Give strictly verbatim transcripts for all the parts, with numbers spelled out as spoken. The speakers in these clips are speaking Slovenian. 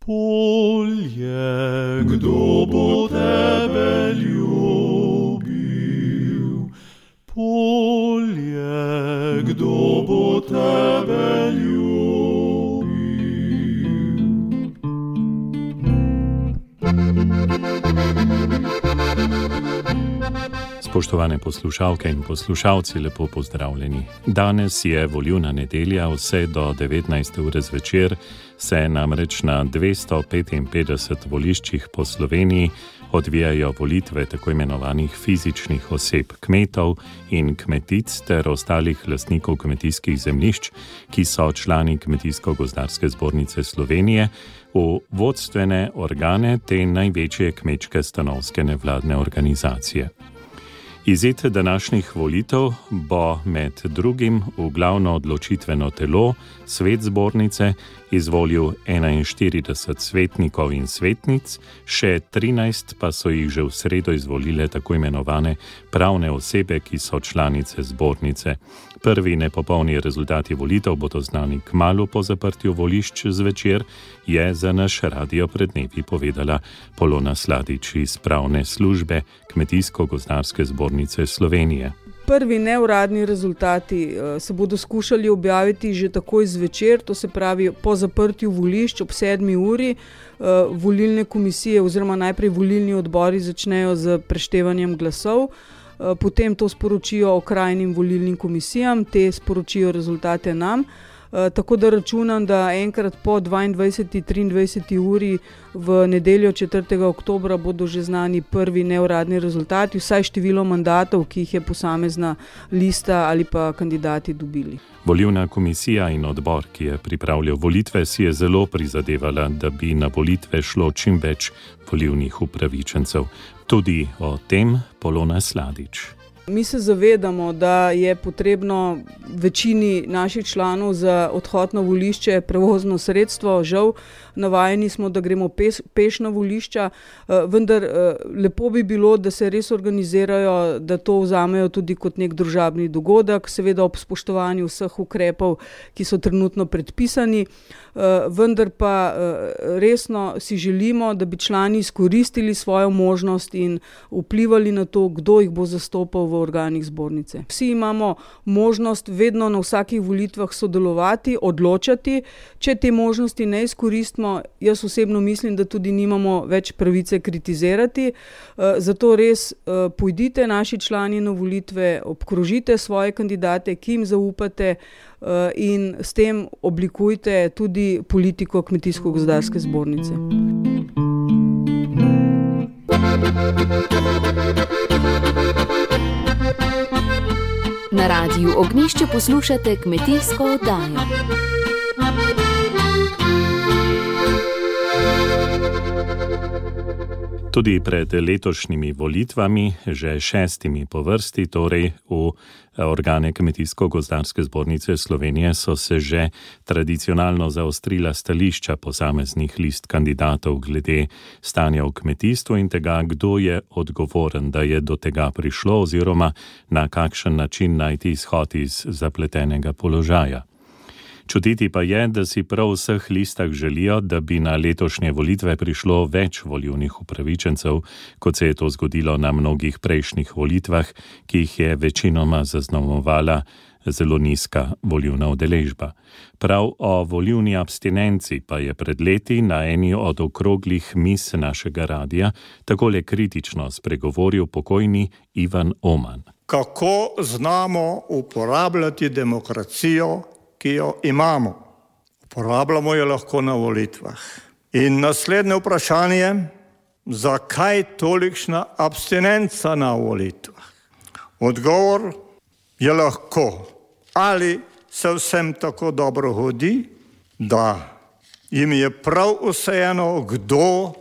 Polje, kdo bo tebe ljubil? Polje, kdo bo tebe ljubil? Spoštovane poslušalke in poslušalci, lepo pozdravljeni. Danes je volilna nedelja, vse do devetnajste ure zvečer se namreč na dvesto petinpetdeset voliščih po Sloveniji odvijajo volitve tako imenovanih fizičnih oseb, kmetov in kmetic ter ostalih lastnikov kmetijskih zemljišč, ki so člani Kmetijsko-gozdarske zbornice Slovenije, v vodstvene organe te največje kmečke stanovske nevladne organizacije. Izid današnjih volitev bo med drugim v glavno odločitveno telo, svet zbornice, izvolil enainštirideset svetnikov in svetnic, še trinajst pa so jih že v sredo izvolile tako imenovane pravne osebe, ki so članice zbornice. Prvi nepopolni rezultati volitev bodo znani kmalu po zaprtju volišč zvečer, je za naš radio pred dnevi povedala Polona Sladič iz pravne službe Kmetijsko-gozdarske zbornice Slovenije. Prvi neuradni rezultati se bodo skušali objaviti že takoj zvečer, to se pravi po zaprtju volišč ob sedmi uri. Volilne komisije oziroma najprej volilni odbori začnejo z preštevanjem glasov, potem to sporočijo okrajnim volilnim komisijam, te sporočijo rezultate nam. Tako da računam, da enkrat po dvaindvajseti, triindvajseti uri v nedeljo četrtega oktobra bodo že znani prvi neuradni rezultati, vsaj število mandatov, ki jih je posamezna lista ali pa kandidati dobili. Volilna komisija in odbor, ki je pripravljal volitve, si je zelo prizadevala, da bi na volitve šlo čim več volilnih upravičencev. Tudi o tem Polona Sladič. Mi se zavedamo, da je potrebno večini naših članov za odhod na volišče prevozno sredstvo. Žal, navajeni smo, da gremo peš, peš na volišča, vendar lepo bi bilo, da se res organizirajo, da to vzamejo tudi kot nek družabni dogodek, seveda ob spoštovanju vseh ukrepov, ki so trenutno predpisani. Vendar pa resno si želimo, da bi člani izkoristili svojo možnost in vplivali na to, kdo jih bo zastopal v organih zbornice. Vsi imamo možnost vedno na vsakih volitvah sodelovati, odločati. Če te možnosti ne izkoristimo, jaz osebno mislim, da tudi nimamo več pravice kritizirati. Zato res pojdite naši člani na volitve, obkrožite svoje kandidate, ki jim zaupate, in s tem oblikujte tudi politiko Kmetijsko-gozdarske zbornice. Na radiju Ognjišče poslušate kmetijsko oddajo. Tudi pred letošnjimi volitvami, že šestimi po vrsti, torej v organe Kmetijsko-gozdarske zbornice Slovenije, so se že tradicionalno zaostrila stališča posameznih list kandidatov glede stanja v kmetijstvu in tega, kdo je odgovoren, da je do tega prišlo oziroma na kakšen način najti izhod iz zapletenega položaja. Čutiti pa je, da si prav v vseh listah želijo, da bi na letošnje volitve prišlo več volilnih upravičencev, kot se je to zgodilo na mnogih prejšnjih volitvah, ki jih je večinoma zaznamovala zelo nizka volilna udeležba. Prav o volilni abstinenci pa je pred leti na eni od okroglih mis našega radia takole kritično spregovoril pokojni Ivan Oman. Kako znamo uporabljati demokracijo, ki jo imamo? Uporabljamo jo lahko na volitvah. In naslednje vprašanje, zakaj tolikšna abstinenca na volitvah? Odgovor je lahko, ali se vsem tako dobro hodi, da jim je prav vseeno, kdo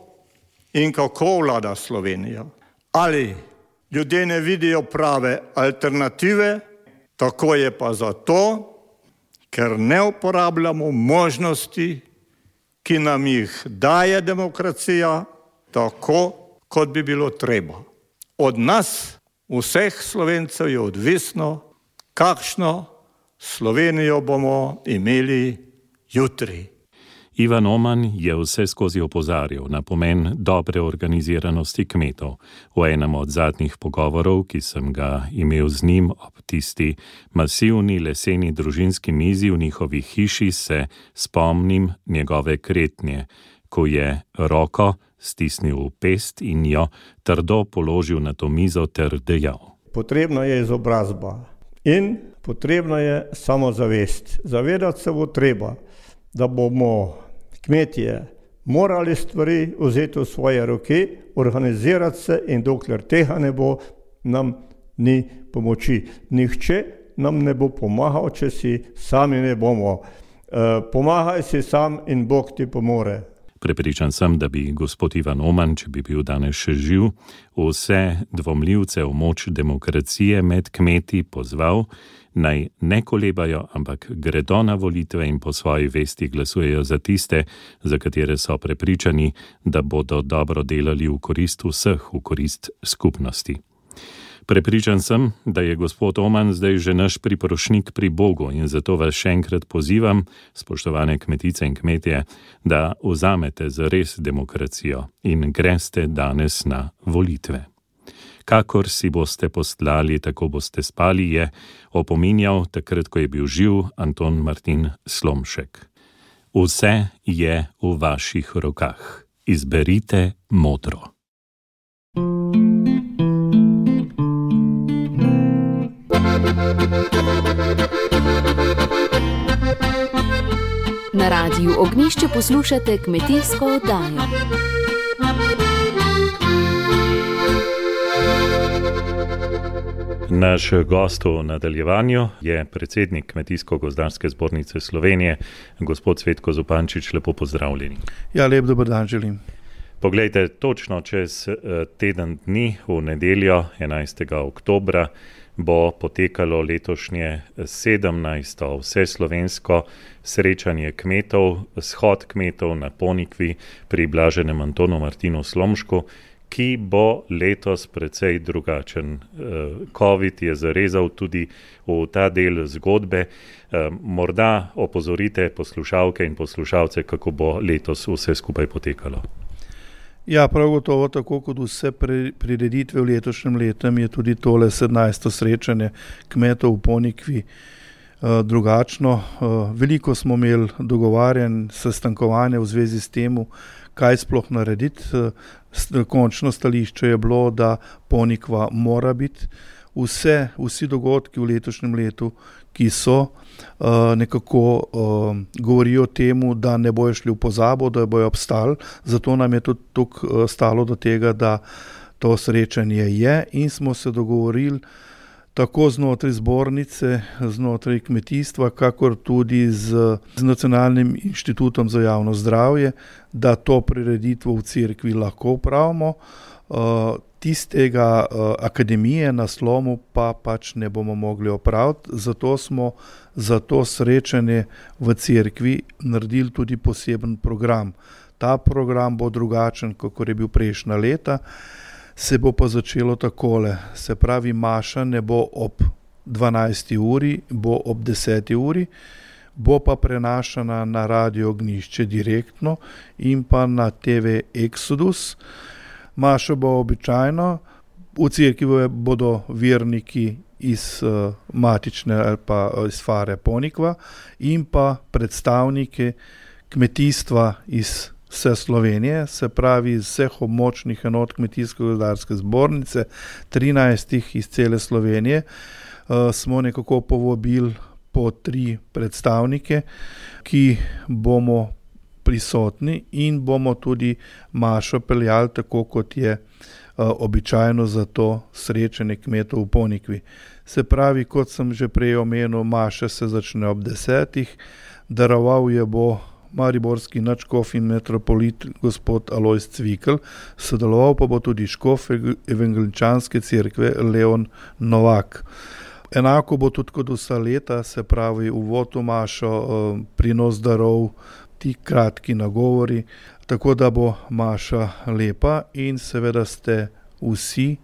in kako vlada Slovenijo. Ali ljudje ne vidijo prave alternative, tako je pa zato, ker ne uporabljamo možnosti, ki nam jih daje demokracija, tako, kot bi bilo treba. Od nas, vseh Slovencev, je odvisno, kakšno Slovenijo bomo imeli jutri. Ivan Oman je vse skozi opozarjal na pomen dobre organiziranosti kmetov. V enem od zadnjih pogovorov, ki sem ga imel z njim ob tisti masivni leseni družinski mizi v njihovi hiši, se spomnim njegove kretnje, ko je roko stisnil v pest in jo trdo položil na to mizo ter dejal: Potrebna je izobrazba in potrebna je samozavest. Zavedati se bo treba, da bomo kmetje morali stvari vzeti v svoje roke, organizirati se, in dokler tega ne bo, nam ni pomoči. Nihče nam ne bo pomagal, če si sami ne bomo. E, pomagaj si sam in Bog ti pomore. Prepričan sem, da bi gospod Ivan Oman, če bi bil danes še živ, vse dvomljivce v moč demokracije med kmeti pozval, naj ne kolebajo, ampak gredo na volitve in po svoji vesti glasujejo za tiste, za katere so prepričani, da bodo dobro delali v korist vseh, v korist skupnosti. Prepričan sem, da je gospod Oman zdaj že naš priprošnik pri Bogu in zato vas še enkrat pozivam, spoštovane kmetice in kmetje, da vzamete zares demokracijo in greste danes na volitve. Kakor si boste postlali, tako boste spali, je opominjal takrat, ko je bil živ Anton Martin Slomšek. Vse je v vaših rokah. Izberite modro. Na Radiu Ognjišče poslušate kmetijsko oddajo. Naš gost v nadaljevanju je predsednik Kmetijsko-gozdarske zbornice Slovenije, gospod Cvetko Zupančič. Lepo pozdravljeni. Ja, lep dober dan želim. Poglejte, točno čez teden dni, v nedeljo, enajstega oktobra, bo potekalo letošnje sedemnajsto vseslovensko srečanje kmetov, shod kmetov na Ponikvi pri blaženem Antonu Martinu Slomšku, ki bo letos precej drugačen. Covid je zarezal tudi v ta del zgodbe. Morda opozorite poslušalke in poslušalce, kako bo letos vse skupaj potekalo. Ja, prav gotovo, tako kot vse prireditve v letošnjem letu, je tudi tole sedemnajsto srečanje kmetov v Ponikvi drugačno. Veliko smo imeli dogovarjanj, sestankovanja v zvezi s tem, kaj sploh narediti. Končno stališče je bilo, da Ponikva mora biti. Vse, vsi dogodki v letošnjem letu, ki so, nekako govorijo o temu, da ne bojo šli v pozabo, da bojo obstali. Zato nam je tudi tukaj stalo do tega, da to srečanje je, in smo se dogovorili tako znotraj zbornice, znotraj kmetijstva, kakor tudi z, z Nacionalnim inštitutom za javno zdravje, da to prireditvo v cerkvi lahko upravimo. Uh, tistega uh, akademije na Slomu pa pač ne bomo mogli opraviti, zato smo za to srečanje v cerkvi naredili tudi poseben program. Ta program bo drugačen, kakor je bil prejšnja leta. Se bo pa začelo takole, se pravi, maša ne bo ob dvanajsti uri, bo ob deseti uri, bo pa prenašana na Radio Ognjišče direktno in pa na T V Exodus. Maša bo običajno, v cerkvi bodo verniki iz uh, matične ali pa iz Fare Ponikva in pa predstavniki kmetijstva iz vse Slovenije, se pravi iz vseh območnih enot Kmetijsko-gozdarske zbornice, trinajstih iz cele Slovenije, uh, smo nekako povabili po tri predstavnike, ki bomo prisotni in bomo tudi mašo peljali tako, kot je uh, običajno za to srečanje kmetov v Ponikvi. Se pravi, kot sem že prej omenil, maša se začne ob desetih, daroval je bo mariborski nadškof in metropolit gospod Alojz Cvikl, sodeloval pa bo tudi škof evangeličanske cerkve Leon Novak. Enako bo tudi kot vsa leta, se pravi uvod v mašo, prinos darov, ti kratki nagovori, tako da bo maša lepa in seveda ste vsi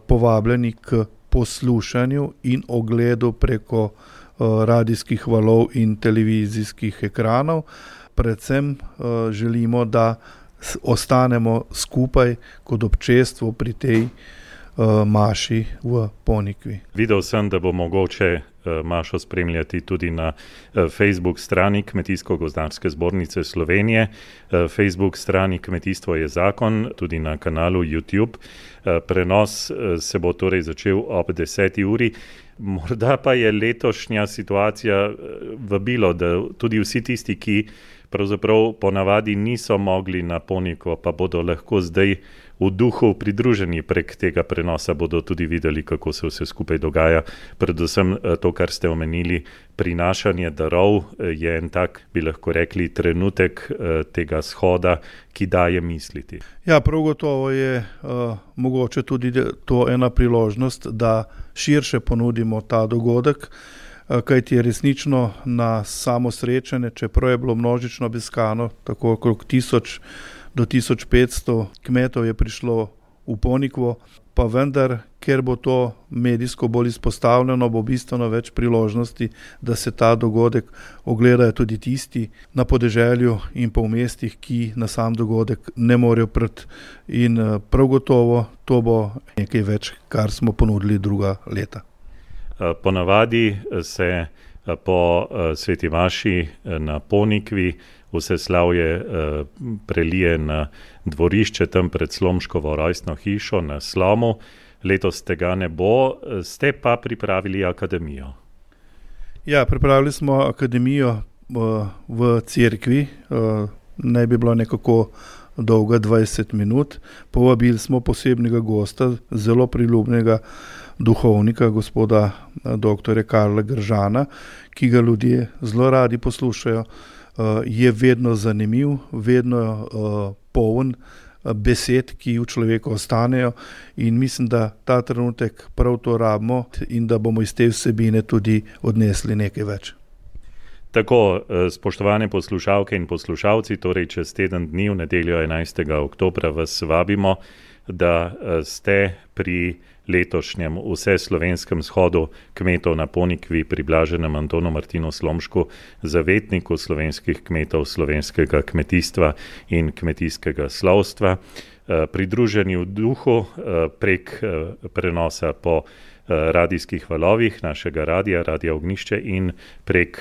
povabljeni k poslušanju in ogledu preko radijskih valov in televizijskih ekranov. predvsem uh, želimo, da ostanemo skupaj kot občestvo pri tej uh, maši v Ponikvi. Videl sem, da bo mogoče uh, mašo spremljati tudi na uh, Facebook strani Kmetijsko-gozdarske zbornice Slovenije, uh, Facebook strani Kmetijstvo je zakon, tudi na kanalu YouTube. Uh, prenos uh, se bo torej začel ob deseti uri. Morda pa je letošnja situacija vabilo, da tudi vsi tisti, ki pravzaprav ponavadi niso mogli na Ponikvo, pa bodo lahko zdaj v duhu pridruženi prek tega prenosa, bodo tudi videli, kako se vse skupaj dogaja. Predvsem to, kar ste omenili, prinašanje darov je en tak, bi lahko rekli, trenutek tega shoda, ki daje misliti. Ja, prav gotovo je uh, mogoče tudi to ena priložnost, da širše ponudimo ta dogodek, kajti je resnično na samo srečanje, čeprav je bilo množično obiskano, tako okrog tisoč do tisoč petsto kmetov je prišlo v Ponikvo, pa vendar, ker bo to medijsko bolj izpostavljeno, bo bistveno več priložnosti, da se ta dogodek ogledajo tudi tisti na podeželju in pa v mestih, ki na sam dogodek ne morejo priti. In prav gotovo to bo nekaj več, kar smo ponudili druga leta. Ponavadi se po sveti maši na Ponikvi vse slavje prelije na dvorišče tam pred Slomškovo rojstno hišo na Slomu. Letos tega ne bo, ste pa pripravili akademijo. Ja, pripravili smo akademijo v cerkvi, naj bi bilo nekako dolga dvajset minut. Povabili smo posebnega gosta, zelo priljubljenega duhovnika, gospoda doktorja Karla Gržana, ki ga ljudje zelo radi poslušajo. Je vedno zanimiv, vedno poln besed, ki v človeku ostanejo, in mislim, da ta trenutek prav to rabimo in da bomo iz te vsebine tudi odnesli nekaj več. Tako, spoštovane poslušalke in poslušalci, torej čez teden dni, v nedeljo enajstega oktobra, vas vabimo, da ste pri letošnjem vseslovenskem shodu kmetov na Ponikvi pri blaženem Antonu Martinu Slomšku, zavetniku slovenskih kmetov, slovenskega kmetijstva in kmetijskega slovstva, pridruženi v duhu prek prenosa po radijskih valovih našega radija, Radija Ognjišče, in prek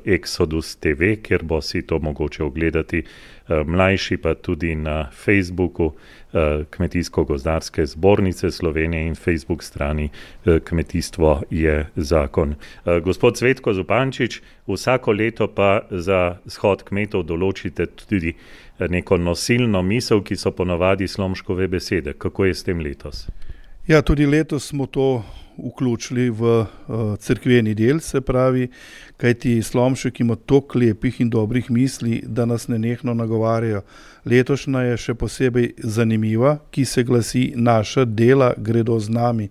Exodus T V, kjer bo si to mogoče ogledati, mlajši pa tudi na Facebooku Kmetijsko-gozdarske zbornice Slovenije in Facebook strani Kmetijstvo je zakon. Gospod Cvetko Zupančič, vsako leto pa za shod kmetov določite tudi neko nosilno misel, ki so ponavadi Slomškove besede. Kako je s tem letos? Ja, tudi letos smo to vključili v uh, cerkveni del, se pravi, kajti Slomšek ima toliko lepih in dobrih misli, da nas nenehno nagovarjajo. Letošnja je še posebej zanimiva, ki se glasi: naša dela gredo z nami.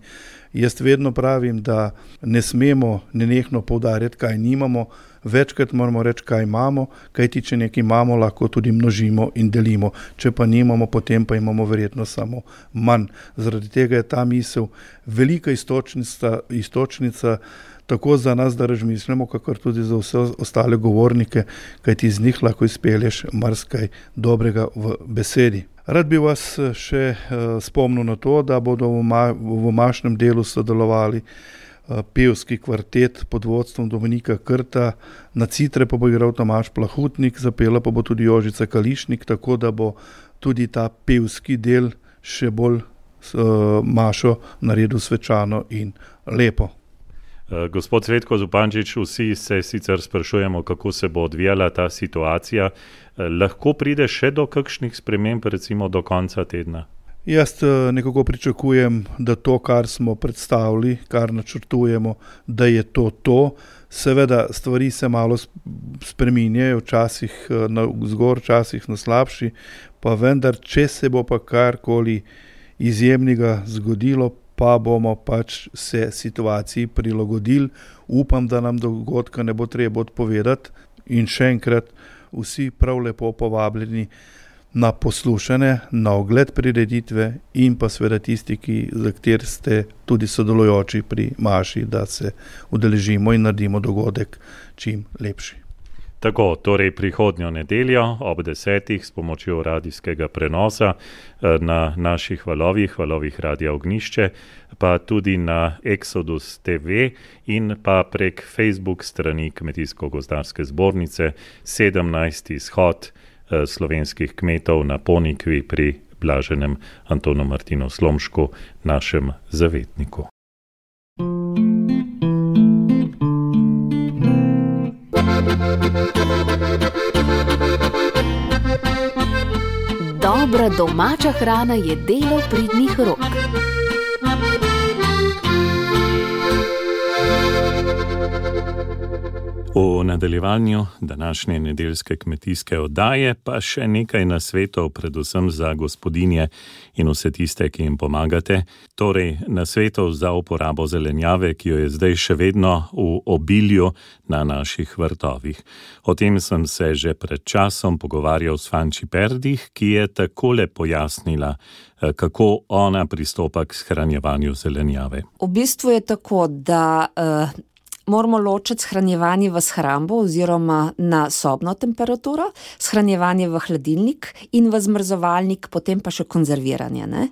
Jaz vedno pravim, da ne smemo nenehno poudarjati, kaj nimamo, večkrat moramo reči, kaj imamo, kajti če nekaj imamo, lahko tudi množimo in delimo. Če pa nimamo, potem pa imamo verjetno samo manj. Zaradi tega je ta misel velika istočnica, istočnica tako za nas, da razmišljamo, kakor tudi za vse ostale govornike, kajti iz njih lahko izpelješ marsikaj dobrega v besedi. Rad bi vas še uh, spomnil na to, da bodo v, ma, v mašnem delu sodelovali uh, pevski kvartet pod vodstvom Dominika Krta, na citre pa bo igral Tomaž Plahutnik, zapela pa bo tudi Jožica Kališnik, tako da bo tudi ta pevski del še bolj uh, mašo naredil svečano in lepo. Gospod Cvetko Zupančič, vsi se sicer sprašujemo, kako se bo odvijala ta situacija. Lahko pride še do kakšnih sprememb, recimo do konca tedna? Jaz nekako pričakujem, da to, kar smo predstavili, kar načrtujemo, da je to to. Seveda stvari se malo spreminjajo, včasih na vzgor, včasih na slabši, pa vendar, če se bo pa karkoli izjemnega zgodilo, pa bomo pač se situaciji prilagodili. Upam, da nam dogodka ne bo treba odpovedati, in še enkrat vsi prav lepo povabljeni na poslušanje, na ogled prireditve in pa seveda tisti, ki, za kateri ste tudi sodelujoči pri maši, da se udeležimo in naredimo dogodek čim lepši. Tako, torej prihodnjo nedeljo ob desetih s pomočjo radijskega prenosa na naših valovih, valovih Radia Ognjišče, pa tudi na Exodus T V in pa prek Facebook strani Kmetijsko-gozdarske zbornice sedemnajsti shod slovenskih kmetov na Ponikvi pri blaženem Antonu Martinu Slomšku, našem zavetniku. Dobra domača hrana je delo pridnih rok. V nadaljevanju današnje nedeljske kmetijske oddaje pa še nekaj nasvetov, predvsem za gospodinje in vse tiste, ki jim pomagate. Torej, nasvetov za uporabo zelenjave, ki jo je zdaj še vedno v obilju na naših vrtovih. O tem sem se že pred časom pogovarjal s Fanči Perdih, ki je takole pojasnila, kako ona pristopa k shranjevanju zelenjave. V bistvu je tako, da uh... moramo ločiti shranjevanje v shrambo oziroma na sobno temperaturo, shranjevanje v hladilnik in v zmrzovalnik, potem pa še konzerviranje. Ne?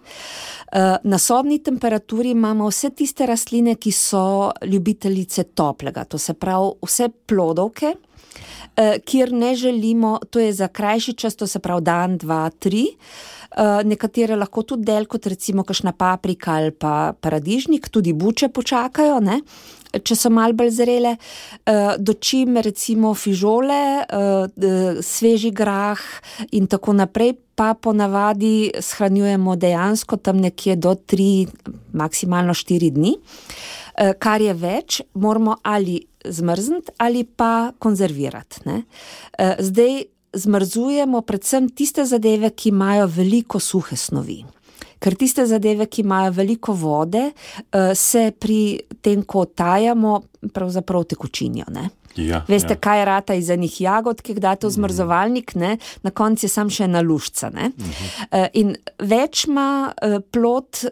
Na sobni temperaturi imamo vse tiste rastline, ki so ljubiteljice toplega, to se pravi vse plodovke, kjer ne želimo, to je za krajši čas, to se pravi dan, dva, tri, nekatere lahko tudi del, kot recimo kakšna paprika ali pa paradižnik, tudi buče počakajo, ne? Če so malo bolj zrele, dočim recimo fižole, sveži grah in tako naprej, pa ponavadi shranjujemo dejansko tam nekje do tri, maksimalno štiri dni. Kar je več, moramo ali zmrzniti ali pa konzervirati. Ne? Zdaj zmrzujemo predvsem tiste zadeve, ki imajo veliko suhe snovi. Ker tiste zadeve, ki imajo veliko vode, se pri tem, ko tajamo, pravzaprav tekočinijo, ne? Ja, Veste, ja. kaj rata iz enih jagod, ki jih date v zmrzovalnik, ne? Na koncu je sam še ena luščica, ne? Uh-huh. In več ima plod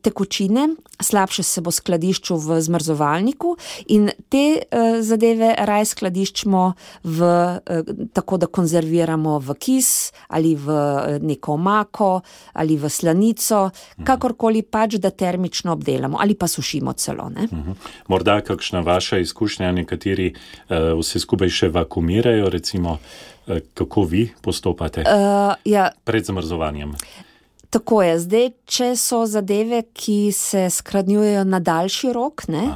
tekočine, slabše se bo skladiščil v zmrzovalniku in te zadeve raje skladiščimo v, tako da konzerviramo v kis ali v neko omako ali v slanico, uh-huh. kakorkoli pač, da termično obdelamo ali pa sušimo celo, ne? Uh-huh. Morda kakšna vaša izkušnja, nekateri vse skupaj še vakumirajo, recimo, kako vi postopate uh, ja. pred zamrzovanjem? Tako je, zdaj, če so zadeve, ki se shranjujejo na daljši rok, ne,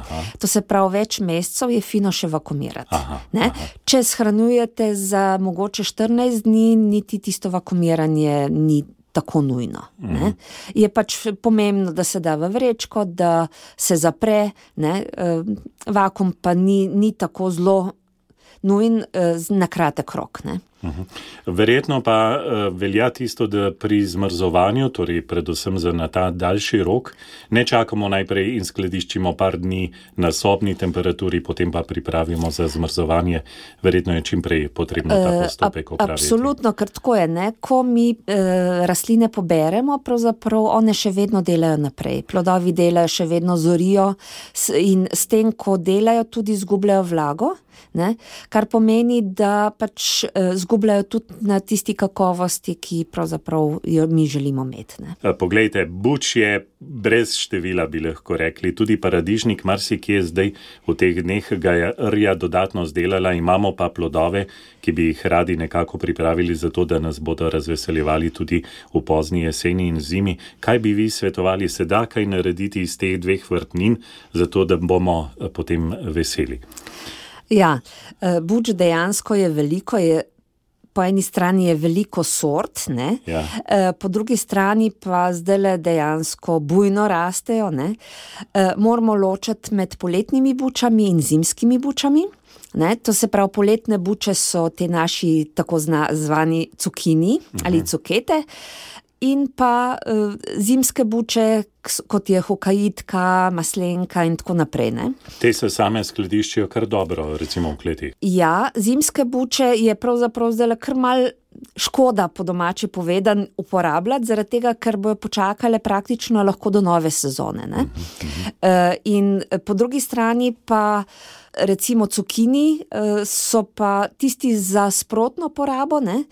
to se pravi več mesecev, je fino še vakumirati. Aha, ne. Aha. Če shranjujete za mogoče štirinajst dni, niti tisto vakumiranje ni tako nujno. Ne. Je pač pomembno, da se da v vrečko, da se zapre, ne. Vakum pa ni, ni tako zelo nujen na kratek rok, ne. Verjetno pa uh, velja tisto, da pri zmrzovanju, torej predvsem za na ta daljši rok, ne čakamo najprej in skladiščimo par dni na sobni temperaturi, potem pa pripravimo za zmrzovanje. Verjetno je čim prej potrebno ta postopek opraviti. Absolutno, ker tako je, ne? Ko mi uh, rastline poberemo, pravzaprav one še vedno delajo naprej. Plodovi delajo, še vedno zorijo in s tem, ko delajo, tudi izgubljajo vlago. Ne? Kar pomeni, da pač uh, zgubljajo tudi na tisti kakovosti, ki pravzaprav jo mi želimo imeti. Ne? Poglejte, buč je brez števila, bi lahko rekli, tudi paradižnik, marsikje zdaj v teh dneh ga je rja dodatno zdelala, imamo pa plodove, ki bi jih radi nekako pripravili za to, da nas bodo razveseljevali tudi v pozni jeseni in zimi. Kaj bi vi svetovali, se da kaj narediti iz teh dveh vrtnin, zato da bomo potem veseli? Ja, buč dejansko je veliko, je, po eni strani je veliko sort, ne? Ja. Po drugi strani pa zdajle dejansko bujno rastejo. Ne? Moramo ločiti med poletnimi bučami in zimskimi bučami. Ne? To se pravi, poletne buče so te naši tako zvani cukini uh-huh. ali cukete. in pa uh, zimske buče, kot je hokaitka, maslenka in tako naprej. Ne? Te se same skladiščijo kar dobro, recimo v kleti. Ja, zimske buče je pravzaprav zdaj kar mal škoda, po domače povedan, uporabljati, zaradi tega, ker bojo počakale praktično lahko do nove sezone. Ne? Uh-huh, uh-huh. Uh, in po drugi strani pa recimo cukini uh, so pa tisti za sprotno porabo. Ne?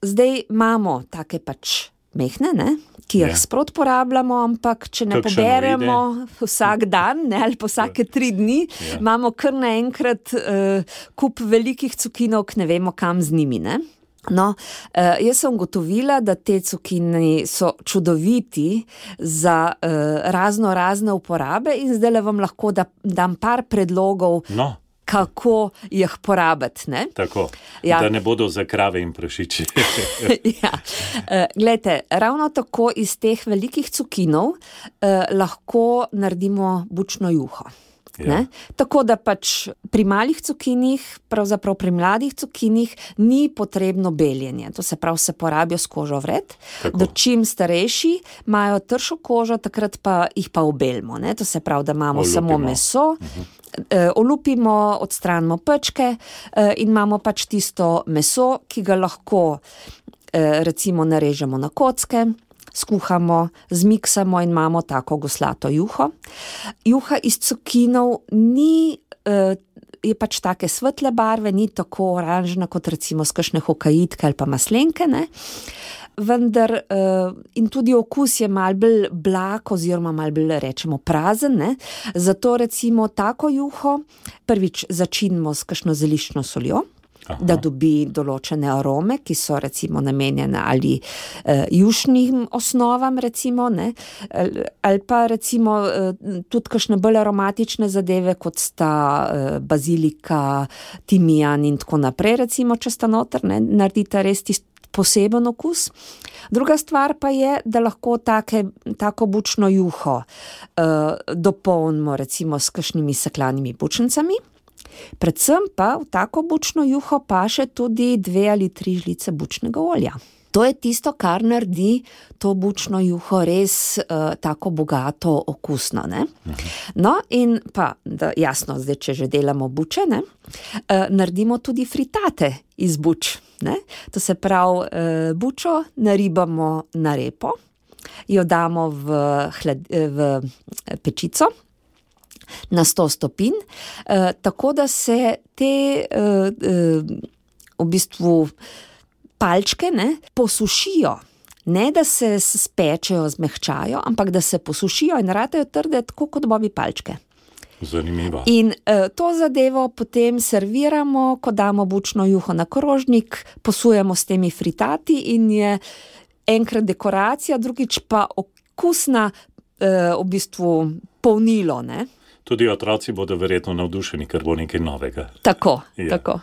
Zdaj imamo take pač mehne, ne? Ki jih ja. sprot porabljamo, ampak če ne Kakšen poberemo vide? Vsak dan, ne, ali pa vsake tri dni, ja. imamo kar naenkrat uh, kup velikih cukinov, ki ne vemo, kam z njimi. Ne? No, uh, jaz sem ugotovila, da te cukini so čudoviti za uh, razno razne uporabe in zdaj le vam lahko da, dam par predlogov, no. kako jih porabiti. Ne? Tako, ja. da ne bodo za krave in prašiči. ja. uh, Glejte, ravno tako iz teh velikih cukinov uh, lahko naredimo bučno juho. Ja. Tako da pač pri malih cukinih, pravzaprav pri mladih cukinih, ni potrebno beljenje. To se pravi, se porabijo s kožo vred. Do čim starejši imajo tršo kožo, takrat pa jih pa obelimo. Ne? To se pravi, da imamo olupimo. samo meso, uh-huh. uh, olupimo, odstranimo pečke uh, in imamo pač tisto meso, ki ga lahko uh, recimo narežemo na kocke, skuhamo, zmiksamo in imamo tako goslato juho. Juha iz cukinov ni, eh, je pač take svetle barve, ni tako oranžna kot recimo s kakšne hokaitke ali pa maslenke, ne? Vendar eh, in tudi okus je malo bolj blag oziroma malo bolj rečemo prazen, ne? Zato recimo tako juho prvič začinimo s kakšno zeliščno soljo, Aha. da dobi določene arome, ki so recimo namenjene ali uh, jušnim osnovam recimo, ne, ali pa recimo uh, tudi kakšne bolj aromatične zadeve, kot sta uh, bazilika, timijan in tako naprej, recimo, če sta noter, ne, naredite res tist poseben okus. Druga stvar pa je, da lahko take, tako bučno juho uh, dopolnimo recimo s kakšnimi seklanimi bučnicami. Predvsem pa v tako bučno juho paše tudi dve ali tri žlice bučnega olja. To je tisto, kar naredi to bučno juho res uh, tako bogato okusno. Ne? No in pa, da, jasno, zdaj, če že delamo buče, ne, uh, naredimo tudi fritate iz buč. Ne? To se pravi, uh, bučo naribamo na repo, jo damo v, hled, v pečico, na sto stopinj, eh, tako da se te eh, eh, v bistvu palčke ne, posušijo. Ne, da se spečejo, zmehčajo, ampak da se posušijo in radejo trde, tako kot bobi palčke. Zanimivo. In eh, to zadevo potem serviramo, ko damo bučno juho na krožnik, posujemo s temi fritati in je enkrat dekoracija, drugič pa okusna eh, v bistvu polnilo, ne. Tudi otroci bodo verjetno navdušeni, ker bo nekaj novega. Tako, ja. tako.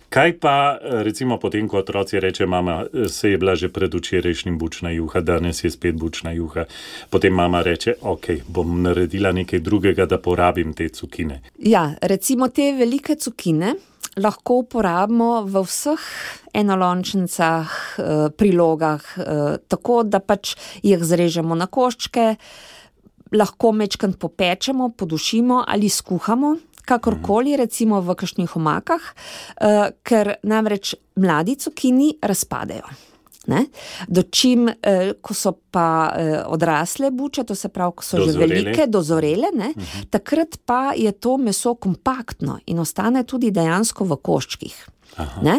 Kaj pa, recimo, potem, ko otroci reče, mama, se je bila že pred včerajšnjim bučna juha, danes je spet bučna juha. Potem mama reče, ok, bom naredila nekaj drugega, da porabim te cukine. Ja, recimo te velike cukine lahko uporabimo v vseh enolončnicah, prilogah, tako da pač jih zrežemo na koščke, lahko mečkant popečemo, podušimo ali skuhamo, kakorkoli, recimo v kakšnih omakah, uh, ker namreč mladi cukini razpadejo. Ne? Dočim, uh, ko so pa uh, odrasle buče, to se pravi, ko so dozorele. že velike, dozorele, ne? Uh-huh. Takrat pa je to meso kompaktno in ostane tudi dejansko v koščkih. Ne?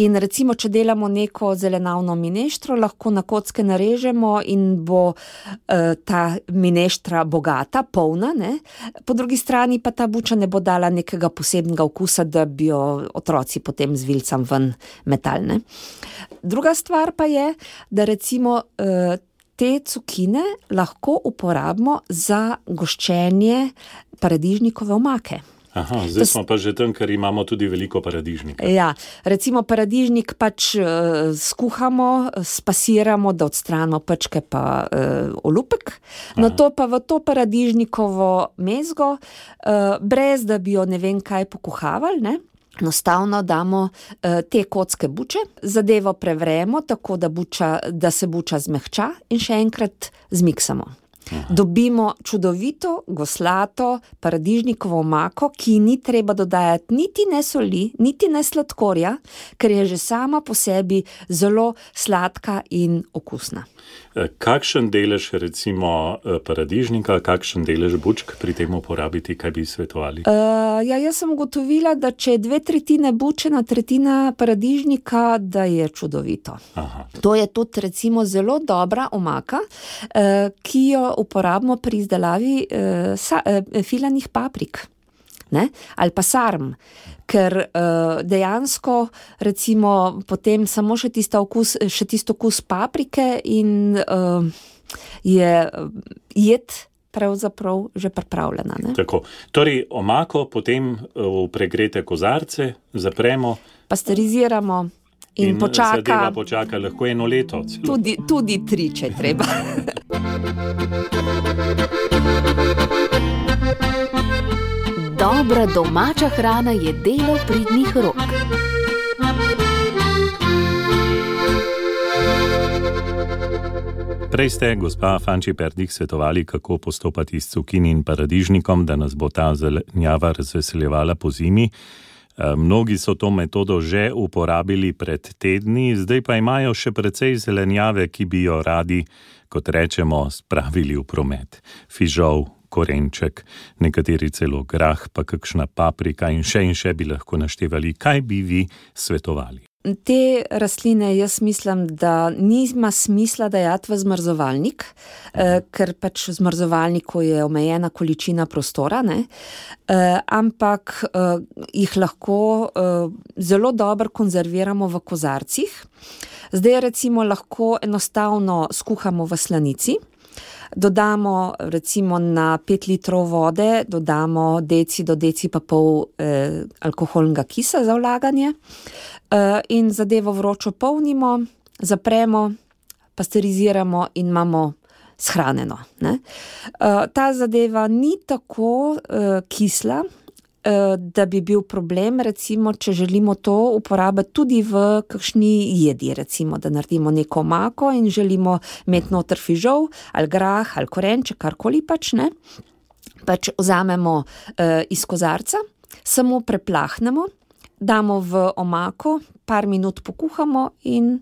In recimo, če delamo neko zelenavno mineštro, lahko na kocke narežemo in bo uh, ta mineštra bogata, polna, ne? Po drugi strani pa ta buča ne bo dala nekega posebnega okusa, da bi jo otroci potem z vilcem ven metali. Druga stvar pa je, da recimo uh, te cukine lahko uporabimo za goščenje paradižnikove omake. Aha, zdaj smo pa že tam, ker imamo tudi veliko paradižnika. Ja, recimo paradižnik pač uh, skuhamo, spasiramo, da odstranimo pečke pa uh, olupek, na to pa v to paradižnikovo mezgo, uh, brez da bi jo ne vem kaj pokuhavali, ne? enostavno damo uh, te kocke buče, zadevo prevremo tako, da, buča, da se buča zmehča in še enkrat zmiksamo. Aha. Dobimo čudovito, goslato paradižnikovo omako, ki ni treba dodajati niti ne soli, niti ne sladkorja, ker je že sama po sebi zelo sladka in okusna. Kakšen delež recimo paradižnika, kakšen delež bučk pri tem uporabiti, kaj bi svetovali? Uh, ja, jaz sem ugotovila, da če je dve tretjine buče na tretjina paradižnika, da je čudovito. Aha. To je tudi recimo zelo dobra omaka, uh, ki jo uporabimo pri izdelavi uh, sa, uh, filanih paprik. Ne? Ali pa sarm, ker uh, dejansko recimo potem samo še tisto okus, še tisto okus paprike in uh, je jed pravzaprav že pripravljena. Ne? Tako. Torej omako potem v pregrete kozarce zapremo, pasteriziramo in, in počaka. Zadeva počaka lahko eno leto. Tudi, tudi tri, če treba. Dobra domača hrana je delo pridnih rok. Prej ste, gospa Fanči Perdik, svetovali, kako postopati s cukini in paradižnikom, da nas bo ta zelenjava razveseljevala po zimi. Mnogi so to metodo že uporabili pred tedni, zdaj pa imajo še precej zelenjave, ki bi jo radi, kot rečemo, spravili v promet. Fižol, korenček, nekateri celo grah, pa kakšna paprika in še in še bi lahko naštevali. Kaj bi vi svetovali? Te rastline jaz mislim, da nima smisla dajati v zmrzovalnik, eh, ker pač v zmrzovalniku je omejena količina prostora, ne? Eh, ampak eh, jih lahko eh, zelo dobro konzerviramo v kozarcih. Zdaj recimo lahko enostavno skuhamo v slanici, dodamo recimo na pet litrov vode, dodamo deci do deci pa pol eh, alkoholnega kisa za vlaganje eh, in zadevo vročo polnimo, zapremo, pasteriziramo in imamo shranjeno. Ne? Eh, ta zadeva ni tako eh, kisla, da bi bil problem, recimo, če želimo to uporabiti tudi v kakšni jedi, recimo, da naredimo neko omako in želimo imeti noter fižol, ali grah, ali korenček, karkoli pač, ne. Pač vzamemo uh, iz kozarca, samo preplahnemo, damo v omako, par minut pokuhamo in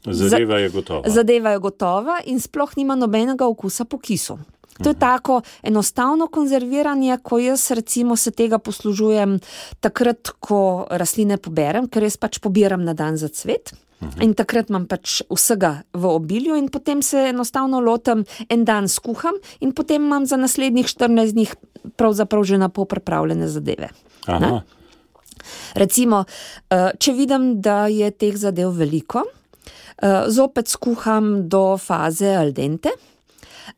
zadeva je gotova. Zadeva je gotova in sploh nima nobenega okusa po kisu. To je tako enostavno konzerviranje, ko jaz recimo se tega poslužujem takrat, ko rastline poberem, ker jaz pač pobiram na dan za cvet. Uhum. In takrat imam pač vsega v obilju in potem se enostavno lotem, en dan skuham in potem imam za naslednjih štirinajst dni pravzaprav že na pol pripravljene zadeve. Aha. Recimo, če vidim, da je teh zadev veliko, zopet skuham do faze al dente.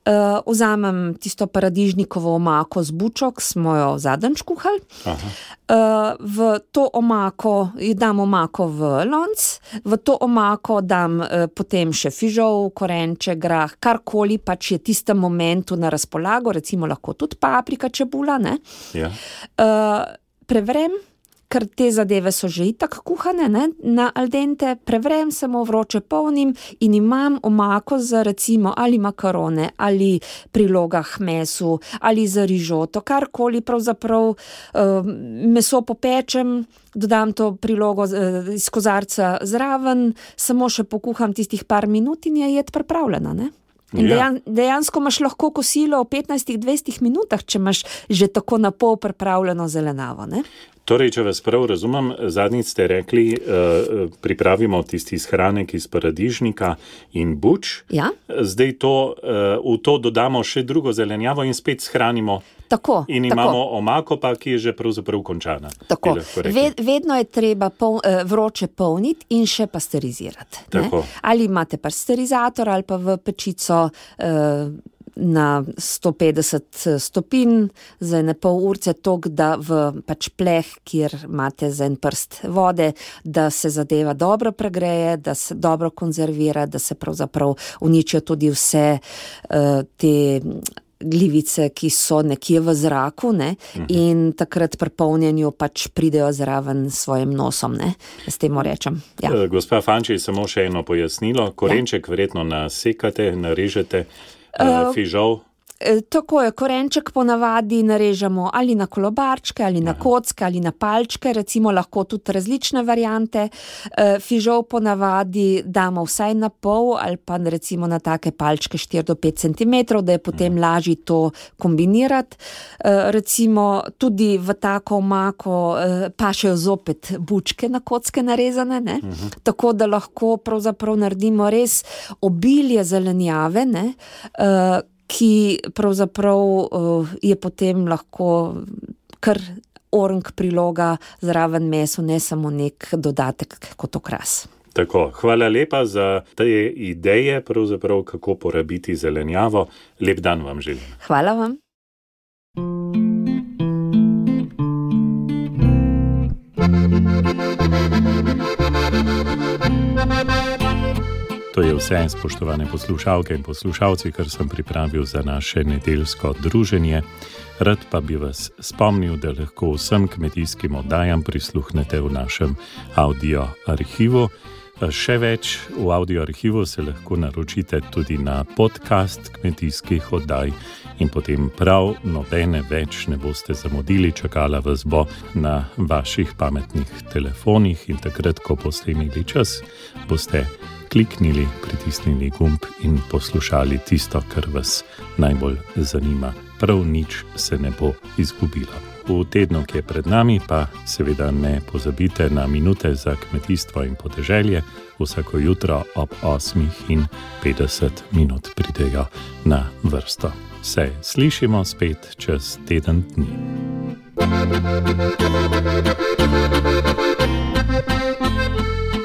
Uh, vzamem tisto paradižnikovo omako z bučo, ki smo jo zadnjič kuhali. Uh, v to omako, dam omako v lonc, v to omako dam uh, potem še fižol, korenček, grah, karkoli pač je tistem momentu na razpolago, recimo lahko tudi paprika, čebula, ne? Ja. Uh, prevrem, ker te zadeve so že itak kuhane, ne, na al dente, prevrem, samo vroče polnim in imam omako za recimo ali makarone, ali prilogah mesu, ali za rižoto, karkoli pravzaprav uh, meso popečem, dodam to prilogo uh, iz kozarca zraven, samo še pokuham tistih par minut in je jed pripravljena, ne. In dejan, dejansko imaš lahko kosilo v petnajst do dvajset minutah, če imaš že tako na pol pripravljeno zelenavo, ne. Torej, če vas prav razumem, zadnjič ste rekli, uh, pripravimo tisti shranek iz paradižnika in buč. Ja. Zdaj to, uh, v to dodamo še drugo zelenjavo in spet shranimo. Tako, in tako. Imamo omako pa, ki je že pravzaprav končana. Tako, Ved, vedno je treba pol, eh, vroče polniti in še pasterizirati. Tako. Ali imate pasterizator ali pa v pečico eh, na sto petdeset stopinj za ene pol urce tok, da v pač pleh, kjer imate za en prst vode, da se zadeva dobro pregreje, da se dobro konzervira, da se pravzaprav uničijo tudi vse uh, te glivice, ki so nekje v zraku, ne, in takrat pri polnjenju pač pridejo zraven s svojim nosom, ne, s tem rečem. Ja. Gospa Fanči, samo še eno pojasnilo. Korenček ja. verjetno nasekate, narežete, uh, fižol. Tako je, korenček ponavadi narežemo ali na kolobarčke, ali na kocke, ali na palčke, recimo lahko tudi različne variante. Fižol ponavadi damo vsaj na pol ali pa recimo na take palčke štiri do pet centimetrov, da je potem lažje to kombinirati. Recimo tudi v tako omako pašejo zopet bučke na kocke narezane, ne? Uh-huh. Tako da lahko pravzaprav naredimo res obilje zelenjave, ne? Ki pravzaprav uh, je potem lahko kar orang priloga zraven mesu, ne samo nek dodatek kot okras. Tako, hvala lepa za te ideje, pravzaprav kako porabiti zelenjavo. Lep dan vam želim. Hvala vam. To je vse, spoštovane poslušalke in poslušalci, kar sem pripravil za naše nedeljsko druženje. Rad pa bi vas spomnil, da lahko vsem kmetijskim oddajam prisluhnete v našem audio arhivu. Še več, v audio arhivu se lahko naročite tudi na podcast kmetijskih oddaj in potem prav nobene več ne boste zamudili, čakala vas bo na vaših pametnih telefonih in takrat, ko boste imeli čas, boste kliknili, pritisnili gumb in poslušali tisto, kar vas najbolj zanima. Prav nič se ne bo izgubilo. V tednu, ki je pred nami, pa seveda ne pozabite na minute za kmetijstvo in podeželje. Vsako jutro ob osmih in petdeset minut pridejo na vrsto. Se slišimo spet čez teden dni.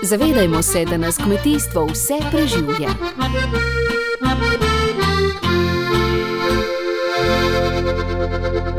Zavedajmo se, da nas kmetijstvo vse preživlja. Thank you.